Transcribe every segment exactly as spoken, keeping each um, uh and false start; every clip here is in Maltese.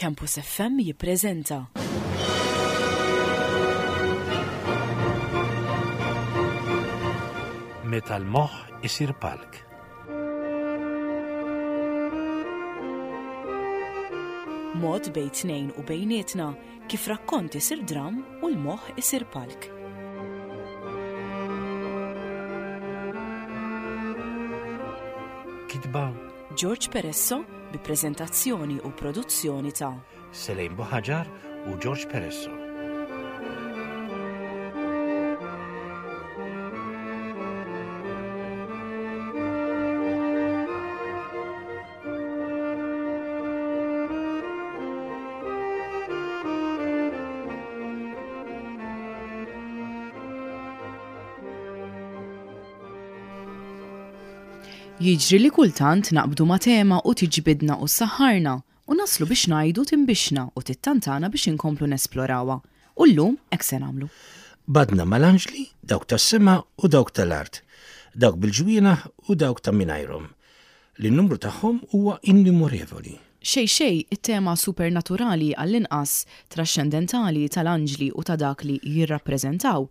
Campus F M jippreżenta Meta l-moħħ isir palk. Mod bejn tnejn u bejnietna kif rakkont isir dram u l-moħħ isir palk. Kitba George Peresso bi preżentazzjoni u produzzjoni ta' Selejn Buħaġar u George Peresso. Jiġri li kultant naqbdu ma' tema u tiġbidna u saħħarna u naslu biex ngħidu timbixna u tittantana biex inkomplu nesplorawha. U llum hekk se nagħmlu. Badna mal-anġli, dawk tas-sema u dawk tal-art, dawk bil-ġwienaħ u dawk ta' mingħajrhom. Li n-numru tagħhom huwa innumorevoli. Xej xej, it-tema supernaturali, għall-inqas trascendentali, tal-anġli u ta' dak li jirrappreżentaw,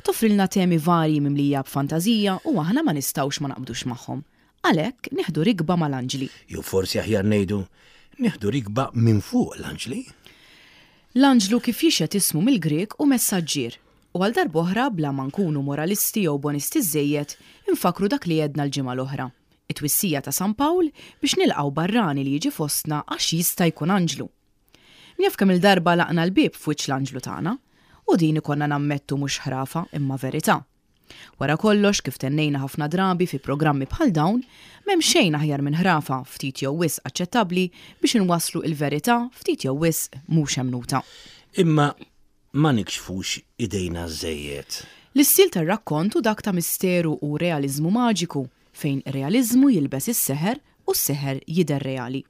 toffrilna temi varji mimlija b'fantazija u aħna ma nistgħux ma naqbdux magħhom. Għalhekk nieħdu rikba mal-anġli. Jew forsi aħjar ngħidu, nieħdu rikba minn fuq l-anġli. L-anġlu, kif jixhed ismu mill-Grek, hu messaġġier. U għal darb'oħra, bla ma nkunu moralisti jew bonisti żejjed, infakru dak li għedna l-ġimgħa l-oħra. It-twissija ta' San Pawl biex nilqgħu barrani li jiġi fostna għax jista' jkun anġlu. Min jaf kemm il-darba għalaqna l-bieb f'wiċċ l-anġlu tagħna, u din ikollna nammettu mhux ħrafa imma verità. Wara kollox, kif tennejna ħafna drabi fi programmi bħal dawn, m'hemm xejn aħjar minn ħrafa ftit jew wisq aċċettabbli biex inwasslu il-verità ftit jew wisq mhux emnuta. Imma ma nikxfux idejna żejjed. L-istil tar-rakkont hu dak ta' misteru u realizmu maġiku, fejn realizmu jilbes is-seħer u s-seħer jidher reali.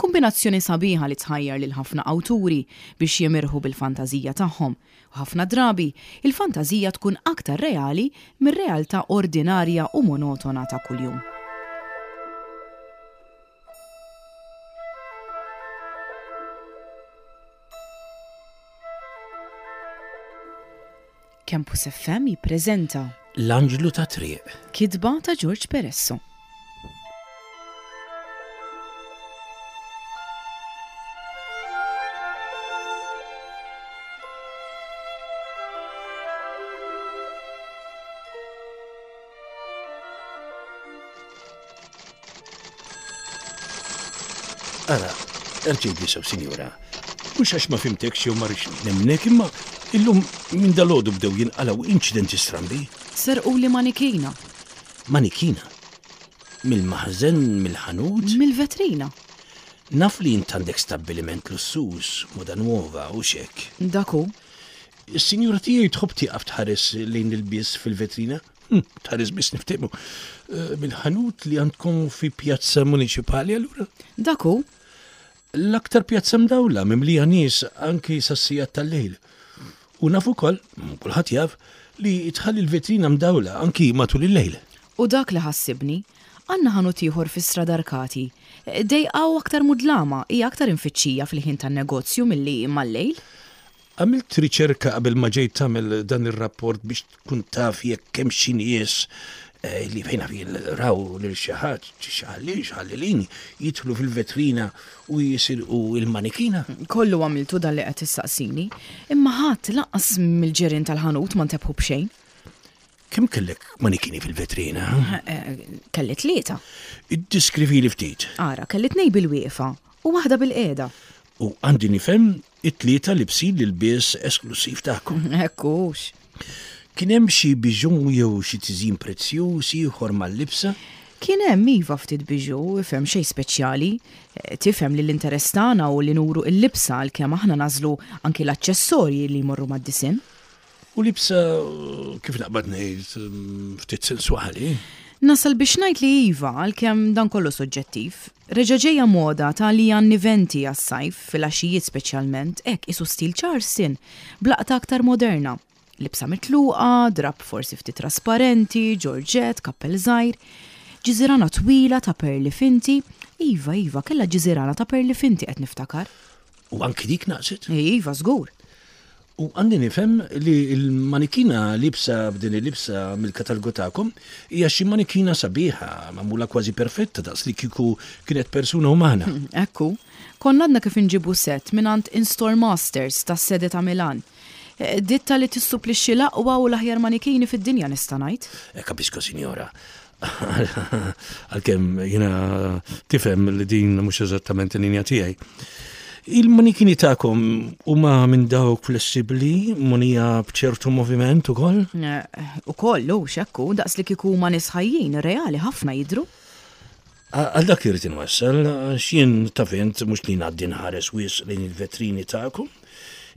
Kombinazzjoni sabiħa li tħajjar lil ħafna awturi biex jimirħu bil-fantażija tagħhom. U ħafna drabi il-fantażija tkun aktar reali mir-realtà ordinarja u monotona ta' kuljum. Campus F M jippreżenta L-Anġlu ta' Triq. Kitba ta' George Peresso. Ara, erġej sew, sinjura. Mhux għax ma fhimtekx jew ma rridx nemnek, imma illum minn dalgħodu bdew jinqalgħu inċidenti strambi. Serquli manikina. Manikina? Mill-maħżen, mill-ħanut? Mill-vetrina. Naf li int għandek stabbiliment lussuż, moda nuova u xek. Dak hu. Is-sinjura tiegħi tħobb tieqaf tħares lejn il-bies fil-vetrina? Hm, tħares biss, niftehmu. Eh, Mill-ħanut li għandkom fi Pjazza Municipali allura? Dak hu. L-aktar pjazza mdawla, mimlija nies anki sas-sigħat tal-lejl. U naf ukoll, kulħadd jaf, li tħalli l-vetrina mdawla anki matul il-lejl. U dak li ħassibni, għandna ħanut ieħor fi Strada Arkati. Dejqa u aktar mudlama, hija aktar imfittxija fil-ħin tan-negozju milli mal-lejl. Għamilt riċerka qabel ma ġejt tagħmel dan ir-rapport biex tkun taf jekk hemm xi nies eh, li fejn fil raw lil xi ħadd, xi ħallil, xi ħallilin jidħlu fil-vetrina u jisirqu il-manikina? Kollu għamiltu dan li qed issaqsini, imma ħadd, lanqas mill-ġirien tal-ħanut, ma ntebħu b'xejn. Kemm kellek manikini fil-vetrina? Eh, Kelli tlieta. Iddiskrivili ftit. Ara, kelli tnej bil-wieqfa u waħda bil-qiegħda. U għandi nifhem it-tlieta libsin l-ilbies esklusiv tagħkom? Hekk hux. Kien hemm xi bijoux jew xi tiżjin prezzjuż ieħor mal-libsa? Kien hemm, iva, ftit bijoux, ifhem, xejn speċjali. Eh, Tifhem li l-interess tagħna hu li nuru il-libsa, għalkemm aħna nagħżlu anki l-aċċessorji li jmorru mad-disinn. U libsa, kif naqbad ngħid, mm, ftit sensuali? Nasal biex ngħid li iva, għalkemm dan kollu soġġettiv. Reġa' ġejja moda ta' li għan-niventi għas-sajf, fil-għaxijiet speċjalment, hekk isu stil Charleston, b'laqta aktar moderna. Libsa mitluqa, drap forsi ftit trasparenti, georgette, kappell żgħir, ġiżirana twila ta' perli finti. Iva, iva, kella ġiżirana ta' perli finti, qed niftakar. U anki dik naqset? Iva, żgur. U għandi nifhem li l-manikina libsa b'din il-libsa mill-katalgu tagħkom hija xi manikina sabiħa, magħmula kważi perfetta daqs li kieku kienet persuna umana. Ekku, konna għadna kif inġibu set mingħand In-Store Masters tas-sede ta' Milan. Eh, Ditta li tissupplixxi l-aqwa u l-aħjar manikini fid-dinja nista' ngħid. Eh, Capisco, signora. Għalkemm jiena tifhem li din mhux eżattament il-linja tiegħi. Il-manikini tagħkom huma minn dawk flessibbli, mogħnija b'ċertu moviment ukoll? Eh, U kollu, xekku, daqs li kieku ma nies ħajjin, reali ħafna jidru. Għal dak irrid inwassal, għax jien taf int mhux li ngħaddi nħares wisq lejn il-vetrini tagħkom.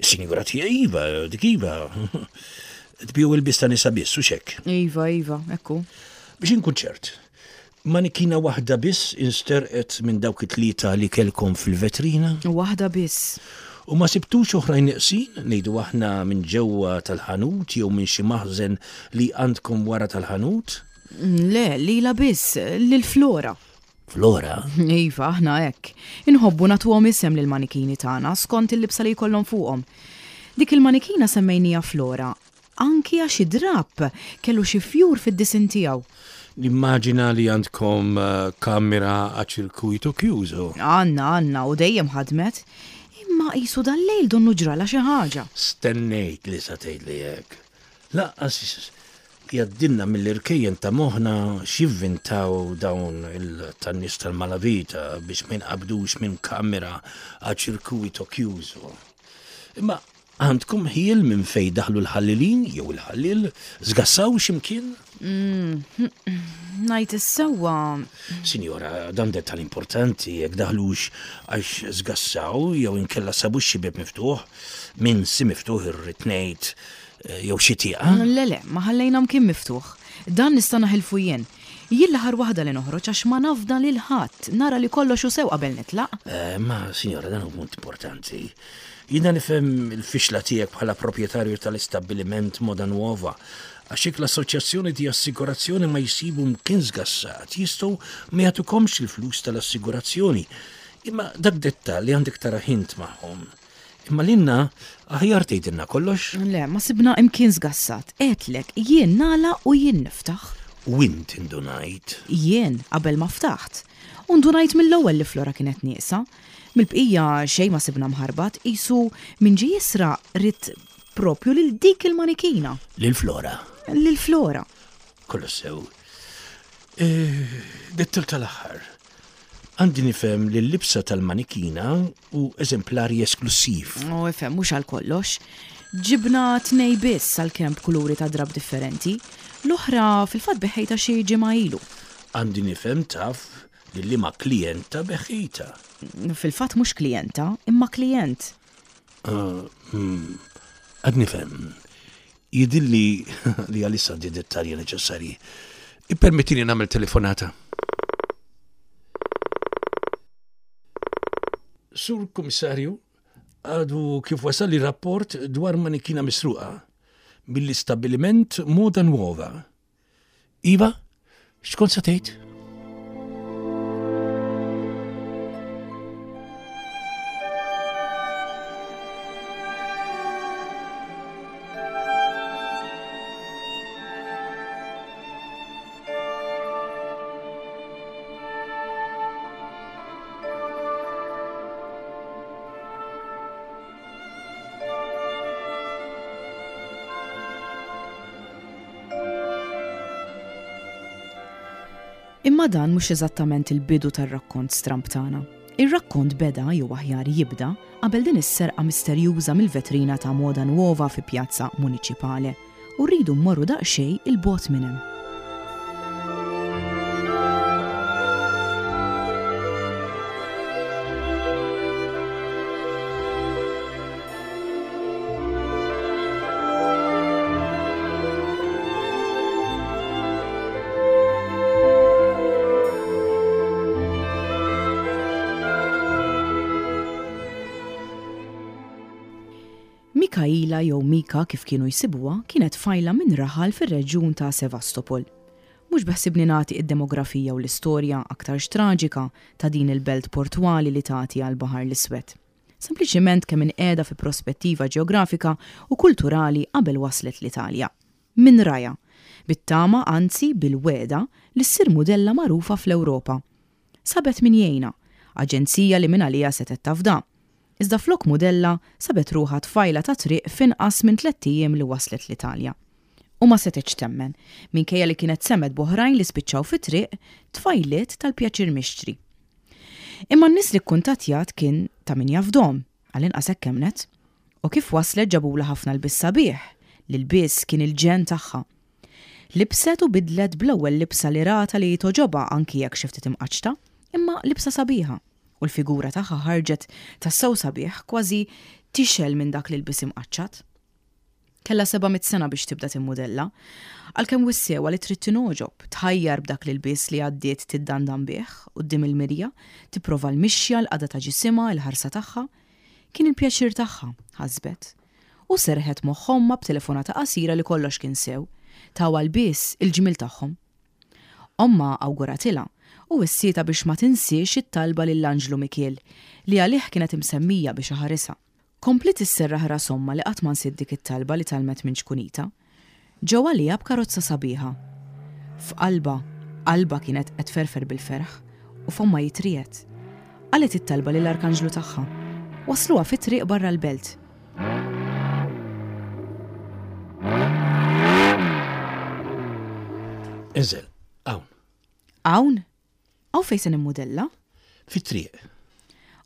Is-sinjura tiegħi iva, dik iva. Tbigħu ilbies ta' nisa biss, u xek. Iva, iva, ekku. Biex inkun ċert, manikina waħda biss insterqet minn dawk it-tlieta li kellkom fil-vetrina Waħda biss. u ma sibtux oħrajn neqsin, ngħidu aħna minn ġewwa tal-ħanut jew minn xi maħżen li għandkom wara tal-ħanut? Le, lila biss, lil Flora. Flora? Iva, aħna hekk. Inħobbu nagħtuhom isem lil manikini tagħna skont il-libsa li jkollhom fuqhom. Dik il-manikina semmejnija Flora, anki għax id-drap kellu xi fjur fid-disin tiegħu. Nimmaġina li għandkom eh, kamera a circuito chiuso. Għanna, għanna, u dejjem ħadmet. Imma qisu dal-lejl donnu ġrala xi ħaġa. Stennejt li sa tgħidli hekk. Lanqas jgħaddilna mill-irkejjen ta' moħħna x'jivvintaw dawn il-tan-nies tal-malavita biex ma jinqabdux minn kamera a circuito chiuso. Imma għandkom ħjiel minn fej daħlu l-ħallilin jew il-ħallil, żgassaw x'imkien? Ngħid is-sewwa Sinjora, dan dettal importanti, jekk daħlux għax żgassaw jew inkella sabu xi bib miftuħ, minn si miftuħ irrid ngħid eh, jew xi tieqa. Le le, ma ħallejna mkien miftuħ. Dan nista' naħilfu jien. Jien l-aħħar waħda li noħroġ għax ma nafda lil ħadd, nara li kollox hu sew qabel nitlaq. Eh, Ma, sinjora, dan hu punt importanti. Jiena nifhem il-fixla tiegħek bħala proprjetarju tal-istabbiliment Moda Nuova, għax jekk l-assoċjazzjoni di assigurazzjoni ma jsibu mkien żgassat, jistgħu ma jagħtukomx il-flus tal-assigurazzjoni. Imma dak dettal li għandek tara int magħhom. Imma lilna aħjar tgħidilna kollox Le, ma sibna imkien żgassat. Għedtlek, jien nagħlaq u jien niftaħ. u int indunajt. Jien qabel ma ftaħt. U ndunajt mill-ewwel li Flora kienet nieqsa. Mill-bqija xejn ma sibna mħarbat, qisu min ġie jisraq ried propju lil dik il-manikina, Lil Flora. lil Flora. Kollu sew. Eh, Dettal tal-aħħar. Għandi nifhem li l-libsa tal-manikina hu eżemplari esklusiv. U ifhem mhux għal kollox. Ġibna tnej biss għalkemm b'kuluri ta' drab differenti. L-oħra fil-fatt begħtha xi ġimgħa ilu. Għandi nifhem taf li liema klijenta begħtha. Fil-fatt mhux klijenta, imma klient. Għad nifhem. Jidhirli li għalissa di dettalji neċessarji. Ippermettini nagħmel telefonata. Sur Komissarju, għadu kif wasal li rapport dwar manikina misruqa mill-istabbiliment Moda Nuova. Iva, x'kont sa tgħid? Imma dan mhux eżattament il-bidu tar-rakkont stramb tagħna. Ir-rakkont beda jew aħjar jibda qabel din is-serqa misterjuża mill-vetrina ta' Moda Nuova fi Pjazza Municipale u rridu mmorru daqsxejn 'il bogħod minn hemm. Mikaela jew Mika kif kienu jsibuha kienet tfajla minn raħal fir-reġjun ta' Sevastopol. Mhux beħsibni nagħti id-demografija u l-istorja aktarx traġika ta' din il-belt portwali li tagħti għal Baħar l-Iswed. Sempliċiment kemm inqiegħda fi prospettiva ġeografika u kulturali qabel waslet l-Italja. Min raha, bit-tama anzi bil-wegħda li ssir mudella magħrufa fl-Ewropa. Sabet min jgħinha, aġenzija li minn għalija setgħet tafda. Iżda flok mudella sabet ruħha tfajla ta' triq f'inqas minn tlett ijiem li waslet l-Italja. U ma setgħetx temmen, minkejja li kienet semgħet b'oħrajn li spiċċaw fit-triq tfajliet tal-pjaċir mixtri. Imma n-nies li kkuntattjat kien ta' min jafdahom, għall-inqas hekk emmnet. U kif waslet ġabula ħafna lbies sabiħ, li l-bies kien il-ġenn tagħha. Libset u bidlet bl-ewwel libsa li rata li togħġobha anki jekk xi ftit imqaċċta, imma libsa sabiħa. U l-figura tagħha ħarġet tassew sabiħ kważi tixgħel minn dak li lbies imqaċċat. Kellha seba' mitt sena biex tibda timmudella, għalkemm wissewha li trid tingħoġob, tħajjar b'dak li lbies li għaddiet tiddandan bih quddiem il-mirja, tipprova l-mixja, l-qagħda ta' ġisimha, il-ħarsa tagħha. Kien il-pjaċir tagħha, ħasbet. U serħet moħħ ommha b'telefonata qasira li kollox kien sew, tawha lbies il-ġmiel tagħhom. Ommha awguratilha u wissietha biex ma tinsiex it-talba lill-Anġlu Mikiel li għalih kienet imsemmija biex iħarisha. Kompliet isserraħ ras ommha li qatt ma nsiet dik it-talba li tgħallmet minn ċkunita. Ġew għaliha b'karozza sabiħa. F'qalbha, qalbha kienet qed tferfer bil-ferħ u fommha jitriegħed. Qalet it-talba lill-Arkanġlu tagħha. Wasluha fit-triq barra l-belt. Inżel, hawn. Hawn? Hawn fejn se nimmudella? Fit-triq.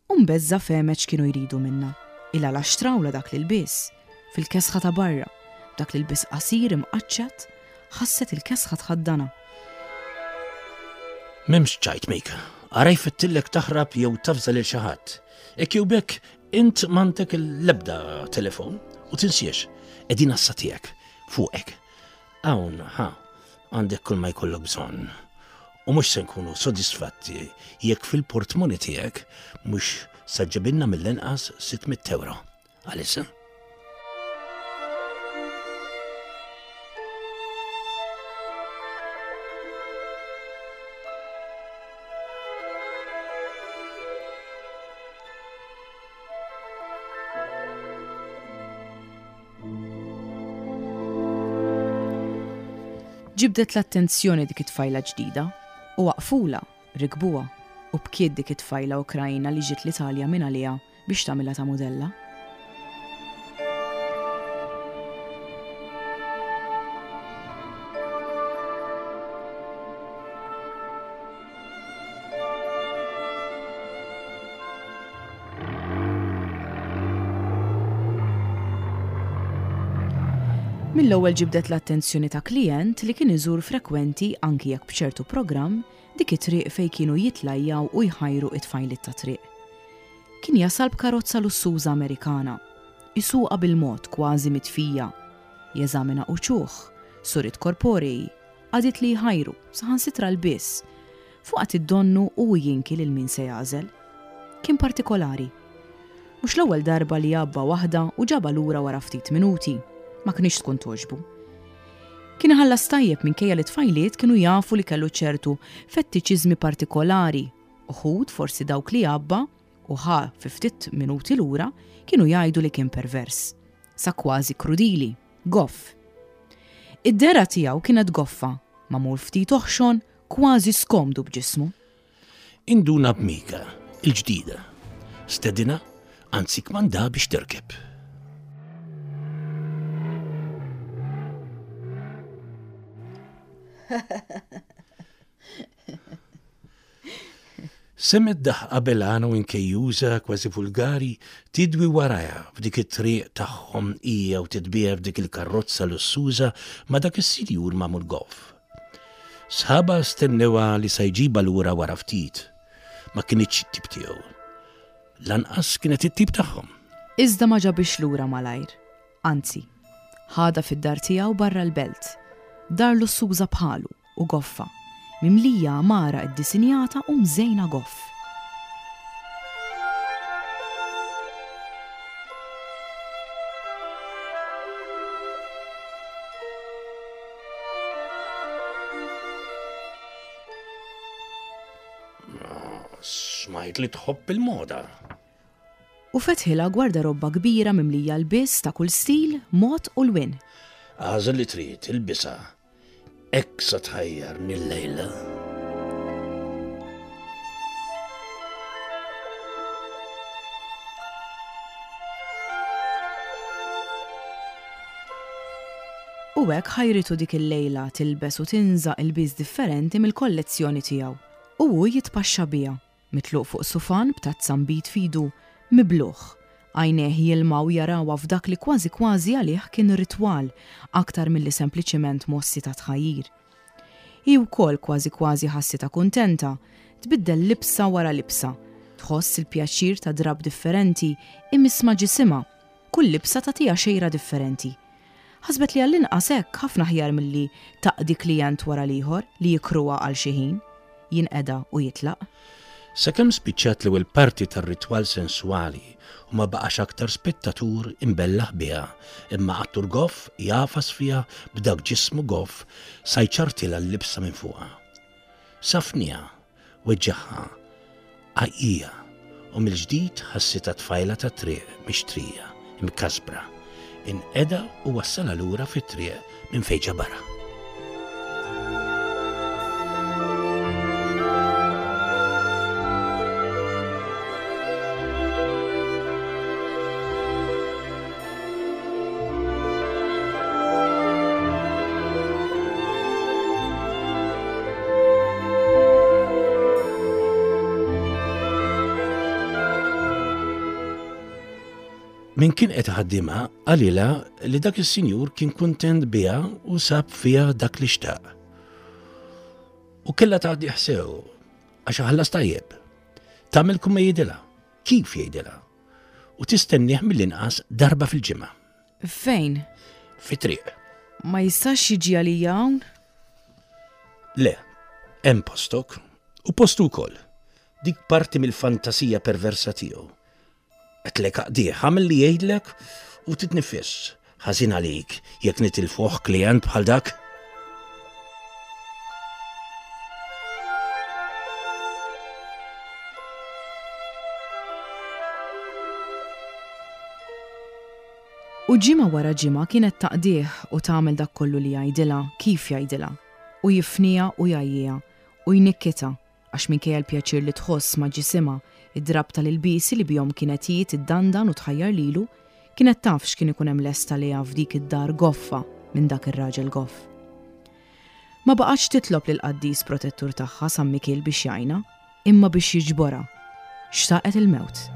U mbeżża' fehmet x'kienu jridu minna. Illa la xtrawla dak li lbies, fil-kesħa ta' barra, dak li lbies qasir imqaċċat, ħasset il-kesħa tħaddana. M'hemmx ċajt Mika, ara jfittillek taħrab jew tafża lil xi ħadd. Hekk jew bekk int m'għandek l-ebda telefon u tinsiex, qegħdin għassa tiegħek, fuqek. Hawn, ha, għandek kull ma jkollok bżonn. U mhux se nkunu sodisfatti jekk fil-portmoni tiegħek mhux sa ġġibilna mill-inqas sitt mitt euro. Għalissa? Ġibdet l-attenzjoni dik it-tfajla ġdida u waqfula, rikbuha u bkiet dik it-tfajla Ukrajna li ġiet l-Italja minn għaliha biex tagħmilha ta' mudella. Mill-ewwel ġibdet l-attenzjoni ta' klient li kien iżur frekwenti anki jekk b'ċertu programm dik it-triq fejn kienu jitlajjaw u jħajru it-tfajliet ta' triq. Kien jasal b'karozza lussuża Amerikana, isuqha bil-mod kważi mitfija, jeżamina uċuħ, surit korporei, qagħdiet li jħajru, saħansitra l-biss, fuqha id-donnu u jinki lil min se jagħżel. Kien partikolari. Mhux l-ewwel darba li għabba waħda u ġabha lura wara ftit minuti, ma kienx tkun toġbu. Kien iħallas tajjeb minkejja li tfajliet kienu jafu li kellu ċertu fettiċiżmi partikolari, uħud forsi dawk li għabba u ħa fi ftit minuti lura kienu jgħidu li kien pervers, sa kważi krudili, goff. Id-dehra tiegħu kienet goffa, magħmul ftit oħxon, kważi skomdu b'ġismu. Induna b'Mika, il-ġdida. Stedina, anzi kmanda biex terkeb. Semgħet daħqa belana u inkejjuża kważi vulgari tidwi warajha f'dik it-triq tagħhom hija u titbiegħ f'dik il-karrozza lussuża ma' dak is-sinjur magħmul goff. Sħaba stennewha li se jġibha lura wara ftit. Ma kinitx it-tip tiegħu. Lanqas kienet it-tip tagħhom. Iżda ma ġabix lura malajr. Anzi, ħadha fid-dar tiegħu barra l-belt. Dar lussuża bħalu u goffa, mimlija għamara iddisinjata u mżejna goff. Smajt li tħobb il-moda. U fetħilha gwardarobba kbira mimlija lbies ta' kull stil, mod u lwien. Agħżel li trid, ilbisha. Hekk sa tħajjarni llejla. U hekk ħajritu dik il-lejla tilbes u tinża' ilbies differenti mill-kollezzjoni tiegħu. U hu jitpaxxa biha, mitluq fuq sufan b'tazza nbid f'idu, mibluh. Għajnejh jilmaw jarawha f'dak li kważi kważi għalih kien ritwal aktar milli sempliċiment mossi ta' tħajjir. Hi wkoll kważi kważi ħassitha kuntenta, tbiddel libsa wara libsa, tħoss il-pjaċir ta' drapp differenti imiss ma' ġisimha, kull libsa tagħtiha xejra differenti. Ħasbet li għall-inqas hekk ħafna aħjar milli taqdi klijent wara l-ieħor li jikruha għal xi ħin, jinqeda u jitlaq. Sakemm spiċċat l-ewwel parti tar-ritwal senswali u ma baqax aktar spettatur imbellaħ biha, imma attur goff jagħfas fiha b'dak ġismu goff sa jċartilha l-libsa minn fuqha. Safniha, weġġaħha, għajjieha u mill-ġdid ħassitha tfajla tat-triq mixtrija, imkasbra. Inqeda u wassalha lura fit-triq minn fejn ġabarha. Min kien qed iħaddimha qalilha li dak is-sinjur kien kuntent biha u sab fiha dak li xtaq. U kellha tgħaddih sew għax ħallas tajjeb. Tagħmel kull ma jgħidilha, kif jgħidilha. U tistennieh mill-inqas darba fil-ġimgħa. Fejn? Fit-triq. Ma jistax jiġi għalija hawn? Le, hemm postok u postu wkoll. Dik parti mill-fantasija perversa tiegħu. Għedtlek aqdih, għamel li jgħidlek u titnifis. Ħażin għalik jekk nitilfuh klient bħal dak. U ġimgħa wara ġimgħa kienet taqdih u tagħmel dak kollu li jgħidilha, kif jgħidilha. U jifniha u jgħajjiha u jnikkitha għax minkejja l-pjaċir li tħoss ma' ġisimha, id-drapp tal-ilbiesi li bihom kienet hi tiddandan u tħajjar lilu, kienet taf x'kien ikun hemm lest għaliha f'dik id-dar goffa minn dak ir-raġel goff. Ma baqgħetx titlob lill-qaddis protettur tagħha San Mikiel biex jgħinha, imma biex jiġborha. Xtaqet il-mewt.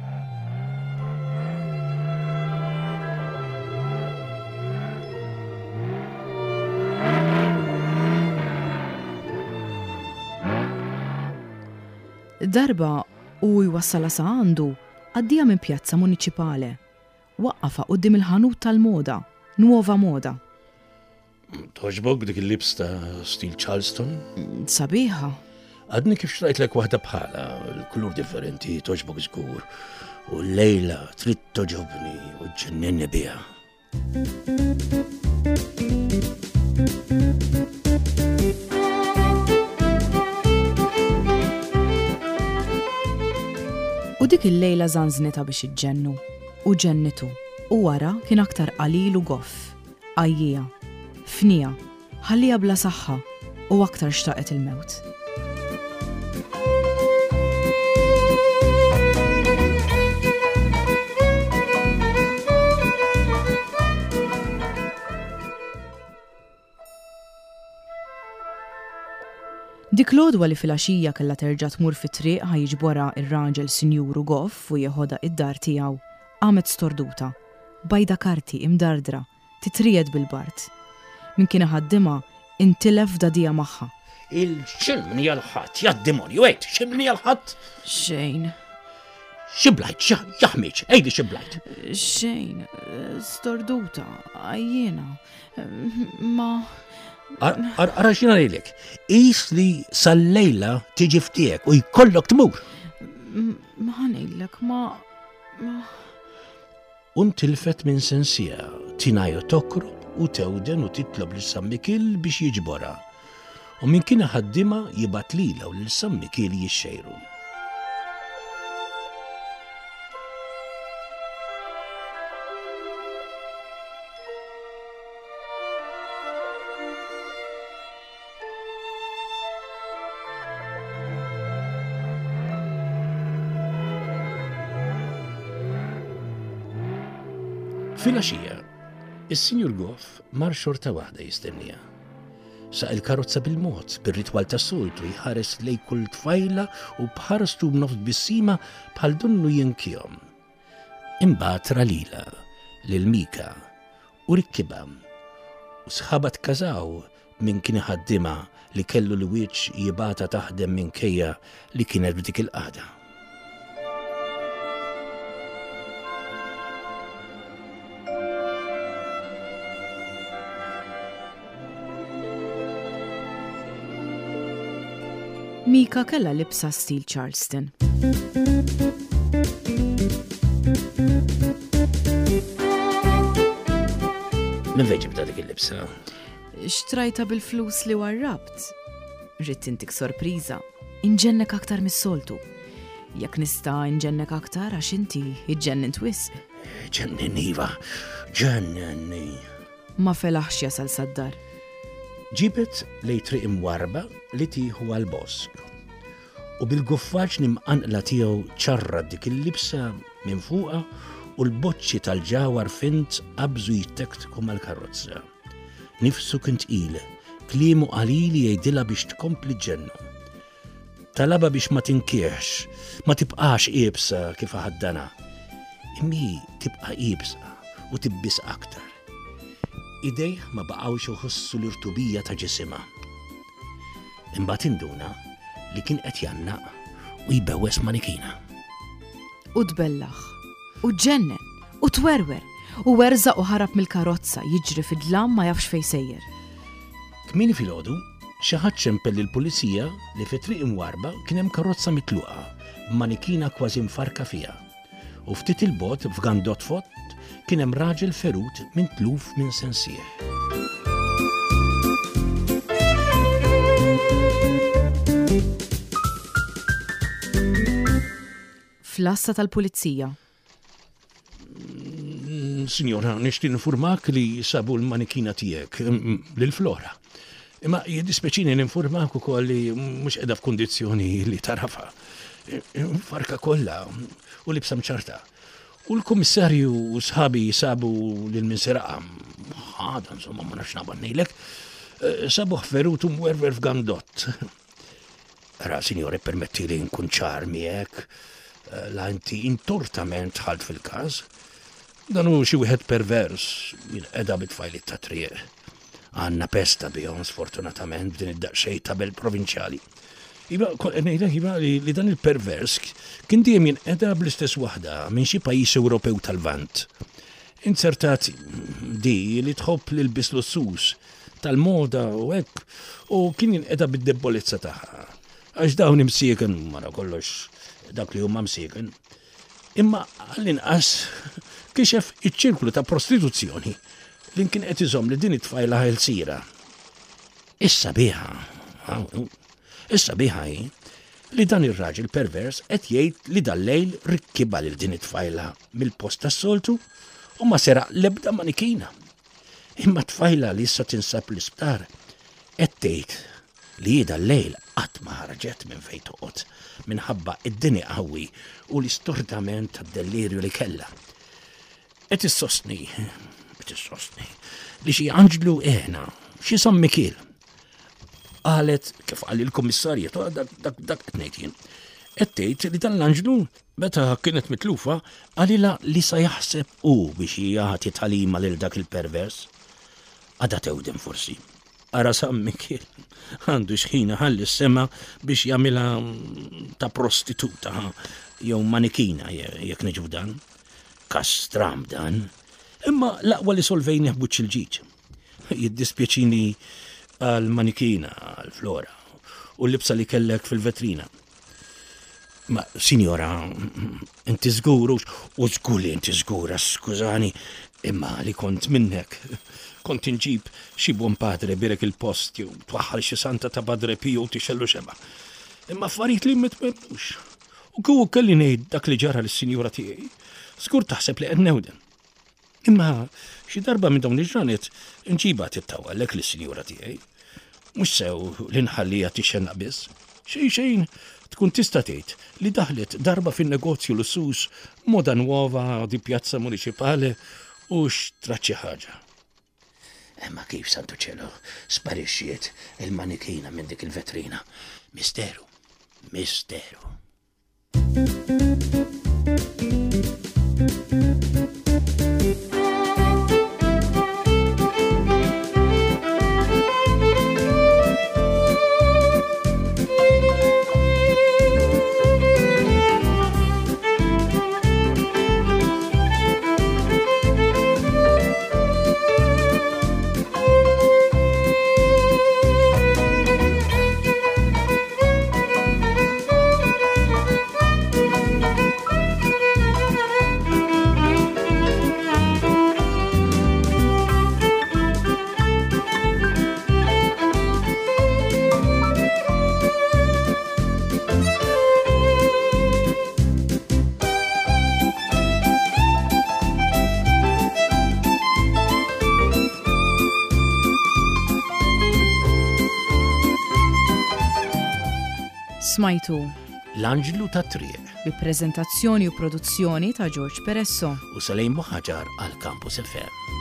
Darba u jwassalha sa għandu, għaddija minn pjazza muniċipale. Waqqafha quddiem il-ħanut tal-moda, Nuova Moda. Toġbok dik il-libs ta' stil Charleston? Sabiħa. Għadni kif xtrajtlek waħda bħala, l-kulur differenti, toġbok żgur. U l-lejla trid toġobni u ġenninni biha. U dik il-lejla żanżnitha biex iġġennu, u ġennitu, u wara kien aktar qalil u goff, għajjija, fnija, ħallija bla saħħa u aktar xtaqet il-mewt. Dik l-għodwa li filgħaxija kellha terġa' tmur fit-triq ħa jiġborha ir-raġel sinjuru goff u jeħodha id-dar tiegħu, qamet storduta, bajda karti imdardra, titriegħed bil-bard. Min kien iħaddimha intilef f'dadija magħha. Il-xilmni għal-ħadd, ja demonju, għid, xilmni għal-ħadd? Xejn. Xiblajt, jaħmiġ, għidi xiblajt. Xejn, storduta, għajjena, ma. Ara xina lilek, qis li sal-lejla tiġi ftiegħek u jkollok tmur. Ma ħanejlek, ma, ma. U ntilfet minn sensija, tinaju tokrob u tewden u titlob lil San Mikiel biex jiġborha. U min kien ħaddima jibgħat lilha u lil San Mikiel jixxejru. Filgħaxija, is-Sinjur Goff mar xorta waħda jistenniha. Saq il-karozza bil-mod, bir-ritwal tas-soltu, jħares lejn kull tfajla u b'ħarstu b'nofs tbissima bħal donnu jinkihom. Imbagħad ra lilha, lil Mika, u rikkibha. U sħabha tkażaw min kien iħaddimha li kellu l-wiċċ jibgħatha taħdem minkejja li kienet b'dik il-qagħda. Mika kellha libsa stil Charleston. Minn fejn ġibtha dik il-libsa? Xtrajtha bil-flus li warrabt. Ridt intik sorpriża. Inġennek aktar mis-soltu. Jekk nista' inġennek aktar għax inti iġġennint wisq. Ġenninni iva, ġenninni. Ma felaħx jasal sad-dar. Ġibet lejn triq imwarba li tieħu għal-bosk. U bil-guffaġni mqanqla tiegħu ċarra dik il-libsa minn fuqha u l-boċċi tal-ġawar fint qabżu jittektku mal-karozza. Nifsu kien tqil, kliemu qalili jgħidilha biex tkompli ġennu. Talabha biex ma tinkiex, ma tibqax iebsa kif ħaddana. Imma tibqa' iebsa u tibbis aktar. Idejh ma baqgħux iħossu l-irtubija ta' ġisimha. Imbagħad induna li kien qed jgħannaq u jbewwes manikina. U tbellaħ, u ġennen, u twerwer, u werżaq u ħarab mill-karozza jiġri fid-dlam ma jafx fejn sejjer. Kmieni filgħodu, xi ħadd ċempel lill-pulizija li fi triq imwarba kien hemm karozza mitluqa b'manikina kważi mfarka fiha. U ftit il-bogħod f'gandott fott kien hemm raġel ferut minn tluf minn sensih. Fl-għassa tal-pulizija. Mm, Sinjora, nixtieq ninfurmak li sabu l-manikina tiegħek, mm, lil Flora. Imma jiddispjaċini ninfurmak ukoll li mhux qiegħda f'kundizzjoni li tarafa. Farka kollha u libsa mċarta. U l-kummissarju u sħabi sabu lil min seraqha. Ħada, insomma, ma nafx naqbad ngħidlek. Eh, Sabuh ferut u mwerwer f'gandott. Ara, sinjore, permetti li nkun ċar miegħek. Eh, La inti intortament dħalt fil-każ. Dan hu xi wieħed pervers jinqeda bit-tfajliet ta' triq. Għandna pesta bihom sfortunatament b'din id-daqsxejn tabel provinċjali. Iva, kont qed ngħidlek iva li, li dan il-pervers kien dejjem jinqeda bl-istess waħda minn xi pajjiż Ewropew tal-Lvant. Inzertat di li tħobb l-ilbies lussuż tal-moda u hekk u kien jinqeda bid-debolezza tagħha. Għax dawn imsieken wara kollox dak li huma msieken. Imma għall-inqas kixef iċ-ċirklu ta' prostituzzjoni li kien qed iżomm li din it-tfajla ħelsira. Issa biha, issa biha hi li dan ir-raġel pervers qed jgħid li dal-lejl rikkiba lil din it-tfajla mill-post tas-soltu u ma seraq l-ebda manikina. Imma tfajla li issa tinsab l-isptar qed tgħid li hi dal-lejl qatt ma ħarġet minn fejn toqgħod minħabba id-deni qawwi u l-istordament tad-delirju li kellha. Qed issostni, qed issostni li xi anġlu għenha, xi San Mikiel. Qalet kif qal il-kummissarju, dak dak dak qed ngħid jien. Qed tgħid li dan l-anġlu meta kienet mitlufa qalilha li sa jaħseb hu biex jagħti tagħlima lil dak il-pervers. Għadha tewden forsi. Ara San Mikiel għandu xħin ħalli s-sema biex jagħmilha ta' prostituta jew manikina jekk niġu dan. Kastram dan. Imma l-aqwa li solvejni ħbuċ il-ġiġ. Jiddispjaċini għal manikina, għal Flora, u l-libsa li kellek fil-vetrina. Ma, sinjora, inti żgur, u żgur li inti żgura, skużani, imma li kont minnek. Kont inġib xi buon padre birek il-post jew twaħħal xi santa ta' Padre Pio u tixellu xeba. Imma affarijiet li mitmemmux. U kieku kelli ngħid dak li ġara lis-sinjura tiegħi, żgur taħseb li qed newden. Imma xi darba minn dawn il-ġranet nġiba tittawallek lis-sinjura tiegħi. Mhux sew li nħallija tixxennaq biss. Xejn xejn tkun tista' tgħid li daħlet darba fin-negozju lussuż Moda Nuova di Piazza Municipale u xtrat xi ħaġa. Imma kif, santu ċelu, sparixxiet il-manikina minn dik il-vetrina? Misteru, misteru. Smajtu L-Anġlu tat-Triq bi preżentazzjoni u produzzjoni ta' George Peresso. U Salejn Buħaġar għal Campus F M.